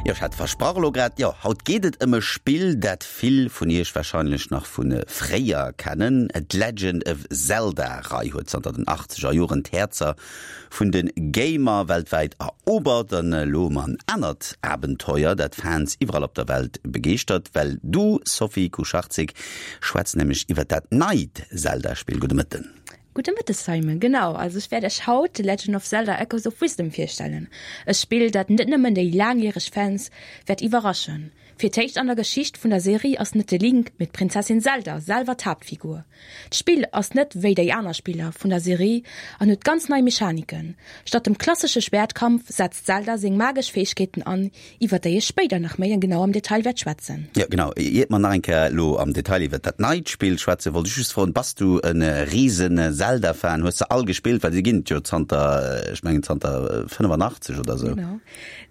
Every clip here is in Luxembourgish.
Jo, ech hat versprach elo grad, jo, haut geet et ëm e Spill, dat vill vun iech warscheinlech nach vu fréier kennen. D'Legend of Zelda-Rei huet zanter den achtzeger Joren d'Häerzer vun de Gamer weltwäit erobert. An elo hu mer en anert Abenteuer, dat Fans iwwerall op der Welt begeeschtert, well du, Sophie Kucharczyk, schwätz nämlech iwwert dat neit Zelda-Spill. Gudde Mëtten. Gudde Mëtteg Simon, genau, also ech wäert iech haut The Legend of Zelda Echoes of Wisdom virstellen, e Spill dat net nëmmen déi laangjäreg Fans wäert iwwerraschen. Fir d'éischt an der Geschicht vun der Serie ass net de Link, mee d'Prinzessin Zelda selwer d'Haaptfigur. D'Spill ass net wéi déi aner Spiller vun der Serie an huet ganz nei Mechaniken. Statt dem klassesche Schwäertkampf setzt d'Zelda seng magesch Fäegkeeten an, iwwert déi ech spéider nach méi genau am Detail wäert schwätzen. Jo, genau. Iert mer nach eng Kéier elo am Detail iwwert dat neit Spill schwätzen, wollt ech just froen, Bass du e risen Zelda-Fan? Hues de all gespillt? Well se ginn et jo zanter, ech mengen zanter 85 oder sou. Genau.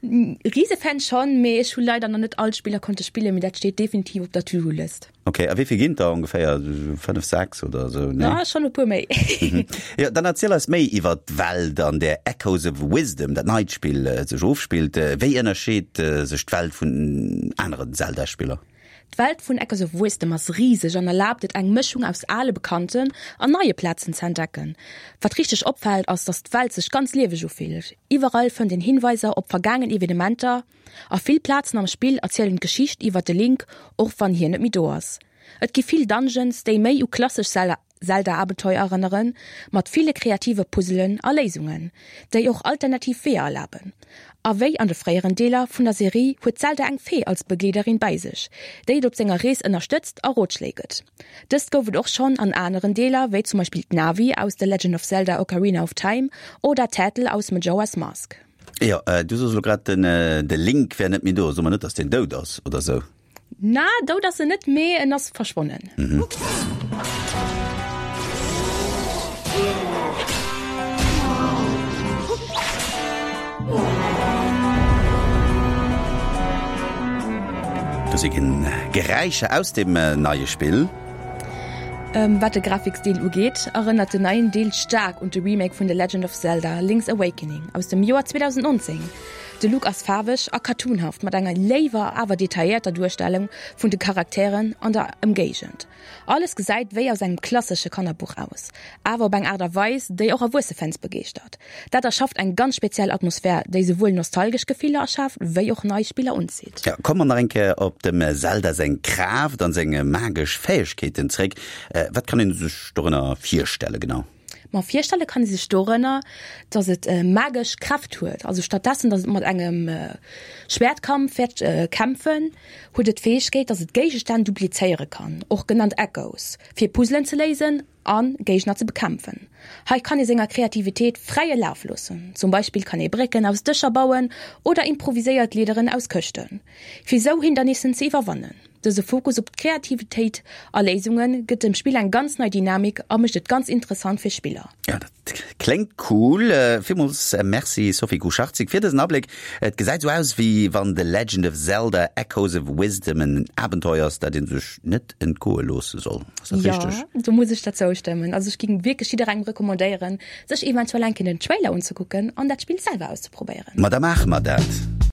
Rise-Fan schonn, mee ech hu leider nach net all d'Spiller konnte spillen, mee dat steet definitiv op der To-Do-List. Ok, a wéi vill ginn et der ongeféier? 5, 6 oder esou, nee? Ah, schonn e puer méi. Jo, dann erziel eis méi iwwer d'Welt, an där Echoes of Wisdom, dat neit Spill, sech ofspillt. Wéi ënnerscheet sech d'Welt vun aneren Zelda-Spiller? D'Welt vun Echoes of Wisdom ass riseg an erlaabt et, eng Mëschung aus ale bekannten an neie Plazen ze entdecken. Wat richteg opfält, ass, dass d'Welt sech ganz lieweg ufillt. Iwwerall fënnt een Hinweiser op vergaangen Evenementer, A vill Plazen am Spill erzielen d'Geschicht iwwer de Link, och wann hien net méi do ass. Et gi vill Dungeons, déi méi u klassesch Zelda-Abenteuer erënneren, mat ville kreative Puzzelen a Léisungen, déi och alternativ Weeër erlaben. A wéi an de fréieren Deeler vun der Serie huet d'Zelda eng Fee als Begleederin bäi sech, déi et op senger Rees ënnerstëtzt a Rotschléi gëtt. Dëst gouf et och schonn an aneren Deeler, wéi zum Beispill d'Navi aus The Legend of Zelda Ocarina of Time oder d'Turtle aus Majora's Mask. Jo, du soos elo grad, den de Link wär net méi do. So mer net, dass deen dout ass oder sou. Na, dout ass en net, mee en ass verschwonnen. Do si Geräischer aus dem neie Spill. Wat de Grafikstil ugeet, erënnert den neien Deel staark un de Remake vun The Legend of Zelda, Link's Awakening aus dem Joer 2019. De Look ass faarweg a cartoonhaft mat enger léiwer awer detailléierter Duerstellung vun de Charakteren an der Ëmgéigend. Alles gesäit wéi aus engem klassesche Kannerbuch aus, awer op eng Aart a Weis, déi och erwuesse Fans begeeschtert. Dat erschafft eng ganz speziell Atmosphär, déi souwuel nostalgesch Gefiller erschaaft, wéi och nei Spiller unzitt. Ja, komme mer nach eng Kéier op dem Zelda seng Kraaft an seng magesch Fäegkeeten zréck. Wat kann een sech dorënner virstelle genau? Ma virstelle kann ee sech dorënner, dass et magesch Kräft huet. Also stattdessen, dass et mat engem Schwäertkampf wäert kämpfen, huet et d'Fäegkeet, dass et Géigestänn duplizéiere kann, och genannt Echoes, fir Puzzelen ze léisen a Géigner ze bekämpfen. Hei kann ee senger Kreativitéit fräie Laf loossen. Zum Beispill kann ee Brécken aus Dëscher bauen oder improviséiert Leederen aus Këschten, fir sou Hindernissen ze iwwerwannen. Dëse Fokus op d'Kreativitéit a Léisunge gëtt dem Spill eng ganz nei Dynamik a mécht et ganz interessant fir Spiller. Jo, dat kléngt cool. Villmools Merci Sophie Kucharczyk fir dësen Abléck. Et gesäit sou aus, wéi wann The Legend of Zelda, Echoes of Wisdom en Abenteuer ass, dat ee sech net entgoe loosse soll. Ass dat richteg? Jo, do muss ech der zoustëmmen. Also ech géing wierklech jidderengem recommandéieren, sech eventuell eng Kéier den Trailer unzekucken an dat Spill selwer auszeprobéieren. Ma da maache mer dat.